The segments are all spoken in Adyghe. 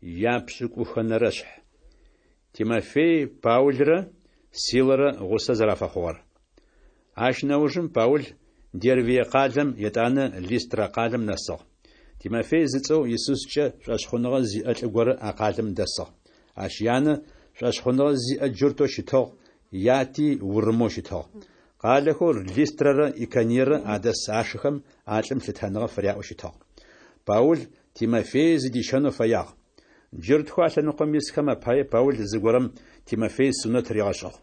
Япшӏыкӏухэнэрэшъхь. Тимофей Паулрэ Силэрэ гъусэ зэрафэхъугъэр. Ащ нэужым Паул Дервие къалэм, етӏанэ Листрэ къалэм нэсыгъ. Тимофей зыцӏэу Исускӏэ шӏошъхъуныгъэ зиӏэ лӏы горэ а къалэм дэсыгъ. Ащ янэ шӏошъхъуныгъэ зиӏэ джуртэу щытыгъ, яти урымэу щытыгъ. Къалэхэу Листрэрэ Икониерэ адэс ашыхэм а лӏым лъытэныгъэ фыряӏэу щытыгъ. Паул Тимофей зыдищэнэу фэягъ. Джуртхэу а лъэныкъом исхэм апае Паул зыгорэм Тимофей сунэт ригъэшӏыгъ.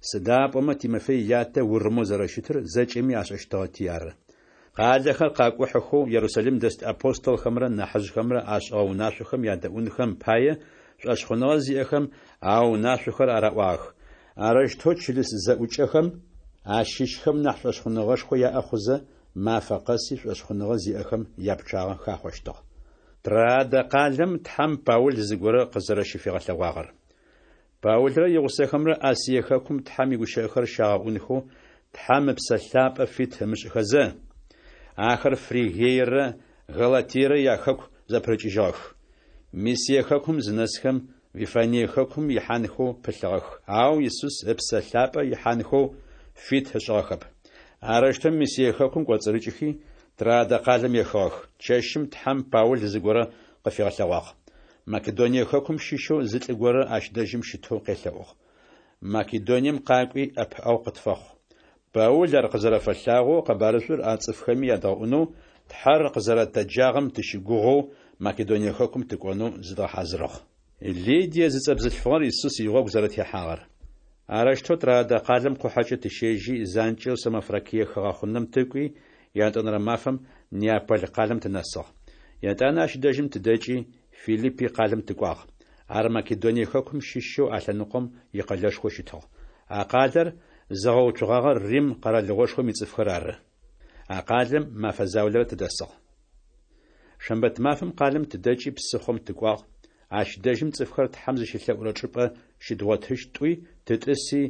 Сыда пӏомэ Тимофей ятэ урымэу зэрэщытыр зэкӏэми ашӏэщтыгъэти ары. Къалэхэр къакӏухьэхэу Ерусалим дэс апостолхэмрэ нахьыжъхэмрэ ашӏыгъэ унашъохэм ядэӏунхэм пае, шӏошъхъуныгъэ зиӏэхэм а унашъохэр араӏуагъэх. Арэущтэу чылыс зэӏукӏэхэм ащыщхэм нахь шӏошъхъуныгъэшхо яӏэ хъузэ, мафэ къэси шӏошъхъуныгъэ зиӏэхэм япчъагъэ хахъощтыгъ. Троадэ къалэм Тхьэм Паул зыгорэ къызэрэщыфигъэлъэгъуагъэр. Паулрэ игъусэхэмрэ Асие хэкум Тхьэм игущыӏэхэр щагъэӏунхэу Тхьэм Ыпсэ Лъапӏэ фит ымышӏыхэзэ, ахэр Фригиерэ Галатиерэ яхэку зэпырыкӏыжьыгъэх. Мисие хэкум зынэсхэм, Вифание хэкум ихьанхэу пылъыгъэх, ау Исус Ыпсэ Лъапӏэ ихьанхэу фит ышӏыгъэхэп. Арэущтэу Мисие хэкум кӏоцӏырыкӏыхи, Троадэ къалэм ехыгъэх. Чэщым Тхьэм Паул зыгорэ къыфигъэлъэгъуагъ. Македоние хэкум щыщэу зы лӏы горэ ащ дэжьым щытэу къелъэӏугъ. Македонием къакӏуи, ӏэпыӏэгъу къытфэхъу. Паул ар къызэрэфэлъагъоу къэбарышӏур а цӏыфхэми ядгъэӏунэу, Тхьэр къызэрэтэджагъэм тыщыгугъэу Македоние хэкум тыкӏонэу зыдгъэхьазырыгъ. Лидие зыцӏэ бзылъфыгъэр Исус игъогу зэрэтехьагъэр. Арэущтэу Троадэ къалэм къухьэкӏэ тыщежьи, занкӏэу Самофракие хыгъэхъунэм тыкӏуи, ятӏонэрэ мафэм Неаполь къалэм тынэсыгъ. Етӏанэ ащ дэжьым тыдэкӏи, Филиппи къалэм тыкӏуагъ. Ар Македоние хэкум щыщэу а лъэныкъом икъэлэшхоу щытыгъ. А къалэр зыгъэуцугъагъэр Рим къэралыгъошхом ицӏыфхэр ары. А къалэм мэфэ заулэрэ тыдэсыгъ. Шэмбэт мафэм къалэм тыдэкӏи псыхъом тыкӏуагъ, ащ дэжьым цӏыфхэр Тхьэм зыщелъэӏурэ чӏыпӏэ щыдгъотыщт тӏуи, тытӏыси,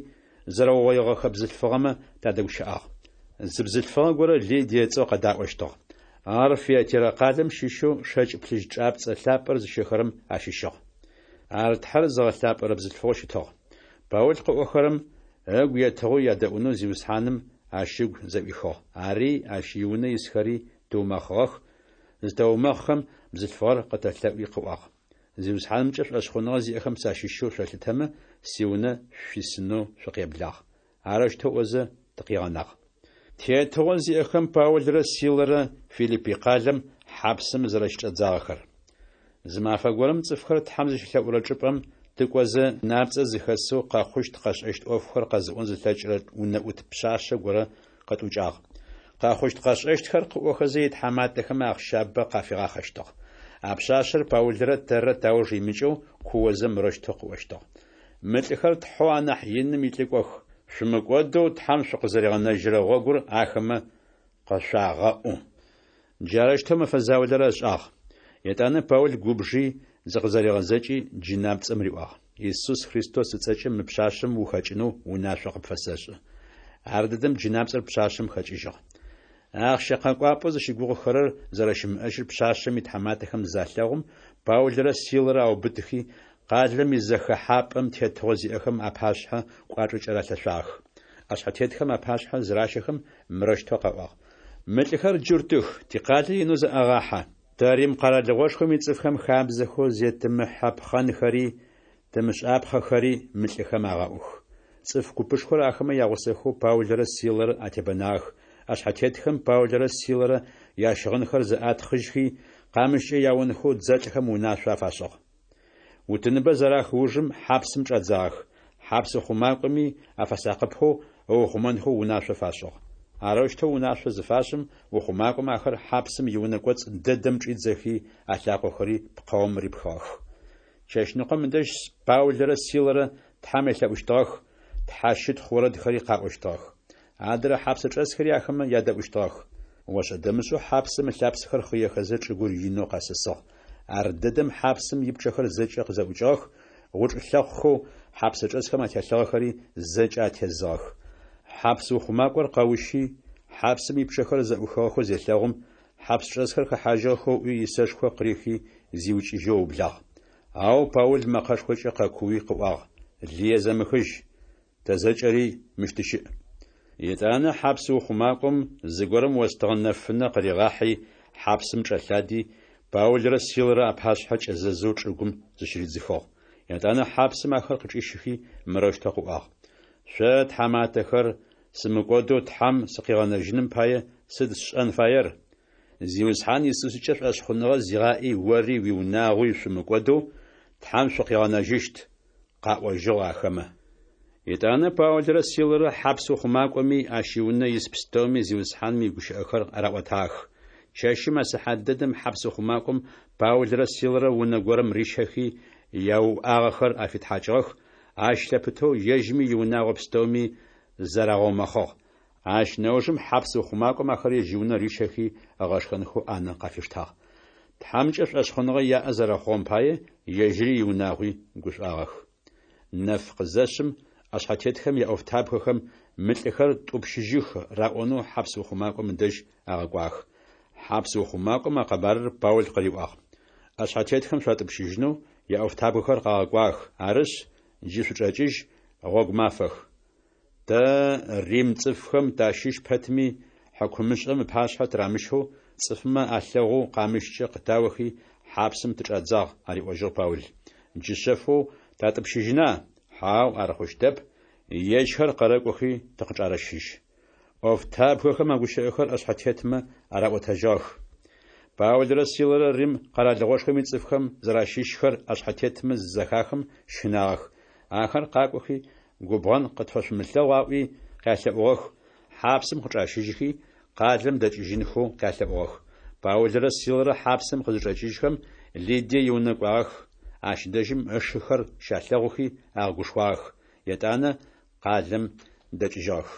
зэрэугъоигъэхэ бзылъфыгъэмэ тадэгущыӏагъ. Зы бзылъфыгъэ горэ Лидие ыцӏэу къэдаӏощтыгъ. Ар Фиатирэ къалэм щыщэу шэкӏ плъыжь чӏапцӏэ лъапӏэр зыщэхэрэм ащыщыгъ. Ар Тхьэр зыгъэлъапӏэрэ бзылъфыгъэу щытыгъ. Паул къыӏохэрэм ыгу етыгъэу ядэӏунэу Зиусхьаным ащ ыгу зэӏуихыгъ. Ари ащ иунэ исхэри тыумэхъыгъэх, зытэумэхъхэм, бзылъфыгъэр къытэлъэӏуи къыӏуагъ. Зиусхьанымкӏэ шӏошъхъуныгъэ зиӏэхэм сащыщэу шъолъытэмэ, сиунэ шъуисынэу шъукъеблагъ. Арэущтэу ыӏозэ, тыкъигъэнагъ. Тетыгъо зиӏэхэм Паулрэ Силэрэ Филиппи къалэм хьапсым зэрэщычӏадзагъэхэр. Зы мафэ горэм цӏыфхэр Тхьэм зыщелъэӏурэ чӏыпӏэм тыкӏозэ, напцӏэ зыхэсэу къэхъущт-къэшӏэщт ӏофхэр къэзыӏон зылъэкӏырэ унэӏут пшъашъэ горэ къытӏукӏагъ. Къэхъущт-къэшӏэщтхэр къыӏохэзэ итхьаматэхэм ахъщабэ къафигъахъэщтыгъ. А пшъашъэр Паулрэ тэррэ тауж имыкӏэу куозэ мырэущтэу къыӏощтыгъ. Мы лӏыхэр Тхьэу анахь иным илӏыкӏох, шъумыкӏодэу Тхьэм шъукъызэригъэнэжьырэ гъогур ахэмэ къышъуагъэӏу. Джарэущтэу мэфэ заулэрэ ышӏагъ. Етӏанэ Паул губжи, зыкъызэригъэзэкӏи, джынапцӏэм риӏуагъ, Исус Христос ыцӏэкӏэ мы пшъашъэм ухэкӏынэу унашъо къыпфэсэшӏы. Ардэдэм джынапцӏэр пшъашъэм хэкӏыжьыгъ. Ахъщэ къэкӏуапӏэу зыщыгугъыхэрэр зэрэщымыӏэжьыр пшъашъэм итхьаматэхэм залъэгъум, Паулрэ Силэрэ аубытыхи, къалэм изэхэхьапӏэм тетыгъо зиӏэхэм апашъхьэ кӏуачӏэкӏэ ралъэшъуагъэх. ӏэшъхьэтетхэм апашъхьэ зыращэхэм, мырэущтэу къаӏуагъ, Мы лӏыхэр джуртых, тикъалэ инэу зэӏагъахьэ. Тэ Рим къэралыгъошхом ицӏыфхэм хабзэхэу зетымыхьэпхъэнхэри тымышӏапхъэхэри мы лӏыхэм агъэӏух. Цӏыф купышхор ахэмэ ягъусэхэу Паулрэ Силэрэ атебэнагъэх, ӏэшъхьэтетхэм Паулрэ Силэрэ ящыгъынхэр зэӏатхъыжьхи, къамыщкӏэ яонхэу дзэлӏхэм унашъо афашӏыгъ. Утыныбэ зэрах ужым хьапсым чӏадзагъэх, хьапс ухъумакӏоми афэсакъыпэу ыухъумэнхэу унашъо фашӏыгъ. Арэущтэу унашъо зыфашӏым, ухъумакӏом ахэр хьапсым иунэ кӏоцӏ дэдэм чӏидзэхи, алъакъохэри пкъэум рипхыгъэх. Чэщныкъом ыдэжь Паулрэ Силэрэ Тхьэм елъэӏущтыгъэх, тхьэщытхъу орэдхэри къаӏощтыгъэх. Адрэ хьапсчӏэсхэри ахэмэ ядэӏущтыгъэх. Ошӏэ-дэмышӏэу хьапсым ылъапсэхэр хъыехэзэ чӏыгур инэу къэсысыгъ. Ардэдэм хьапсым ипчъэхэр зэкӏэ къызэӏукӏыгъэх, гъучӏ лъэхъухэу хьапсчӏэсхэм ателъыгъэхэри зэкӏэ атезыгъэх. Хьапс ухъумакӏор къэущи, хьапсым ипчъэхэр зэӏухыгъэхэу зелъэгъум, хьапсчӏэсхэр хэхьажьыгъэхэу ыӏуи исэшхо къырихи зиукӏыжьэу ыублагъ. Ау Паул мэкъэшхокӏэ къэкууи къыӏуагъ, Лые зэмыхыжь! Тэ зэкӏэри мыщ тыщыӏ. Етӏанэ хьапс ухъумакӏом зыгорэм остыгъэ нэфынэ къыригъахьи, хьапсым чӏэлъади, Паулрэ Силэрэ апашъхьэ кӏэзэзэу чӏыгум зыщыридзыхыгъ. Етӏанэ хьапсым ахэр къычӏищыхи, мырэущтэу къыӏуагъ, Шъо, тхьаматэхэр, сымыкӏодэу Тхьэм сыкъигъэнэжьыным пае сыд сшӏэн фаер? Зиусхьан Исускӏэ шӏошъхъуныгъэ зигъаӏи, ори уиунагъуи шъумыкӏодэу Тхьэм шъукъигъэнэжьыщт, къаӏожьыгъ ахэмэ. Етӏанэ Паулрэ Силэрэ хьапс ухъумакӏоми ащ иунэ ис пстэуми Зиусхьаным игущыӏэхэр араӏотагъэх. Чэщым а сыхьат дэдэм хьапс ухъумакӏом Паулрэ Силэрэ унэ горэм рищэхи, яуӏагъэхэр афитхьакӏыгъэх, ащ лъэпытэу ежьми иунагъо пстэуми зарагъэумэхъыгъ. Ащ нэужым хьапс ухъумакӏом ахэр ежь иунэ рищэхи, ыгъэшхэнхэу ӏанэ къафиштагъ. Тхьэмкӏэ шӏошъхъуныгъэ яӏэ зэрэхъугъэм пае, ежьыри иунагъуи гушӏуагъэх. Нэф къызэшъым, ӏэшъхьэтетхэм яӏофтабгэхэм Мы лӏыхэр тӏупщыжьых раӏонэу хьапс ухъумакӏом ыдэжь агъэкӏуагъэх. Хьапс ухъумакӏом а къэбарыр Паул къыриӏуагъ. ӏэшъхьэтетхэм шъуатӏупщыжьынэу яӏофтабгэхэр къагъэкӏуагъэх, арышъ, джы шъучӏэкӏыжь, гъогу мафэх. Тэ, рим цӏыфхэм тащыщ пэтми, хьыкумышӏэм ыпашъхьэ тырамыщэу, цӏыфмэ алъэгъоу къамыщкӏэ къытаохи, хьапсым тычӏадзагъ, ариӏожьыгъ Паул. Джы шъэфэу татӏупщыжьына? Хьау, ар хъущтэп, ежьхэр къэрэкӏохи тыкъычӏарэщыжь. ӏофтабгэхэм а гущыӏэхэр ӏэшъхьэтетмэ араӏотэжьыгъэх. Паулрэ Силэрэ Рим къэралыгъошхом ицӏыфхэм зэращыщхэр ӏэшъхьэтетмэ зызэхахым щынагъэх. Ахэр къакӏохи, губгъэн къытфэшъумылъэгъу аӏуи къялъэӏугъэх, хьапсым къычӏащыжьхи, къалэм дэкӏыжьынхэу къялъэӏугъэх. Паулрэ Силэрэ хьапсым къызычӏэкӏыжьхэм, Лидие иунэ кӏуагъэх, ащ дэжьым ышыхэр щалъэгъухи агъэгушхуагъэх, етӏанэ къалэм дэкӏыжьыгъэх.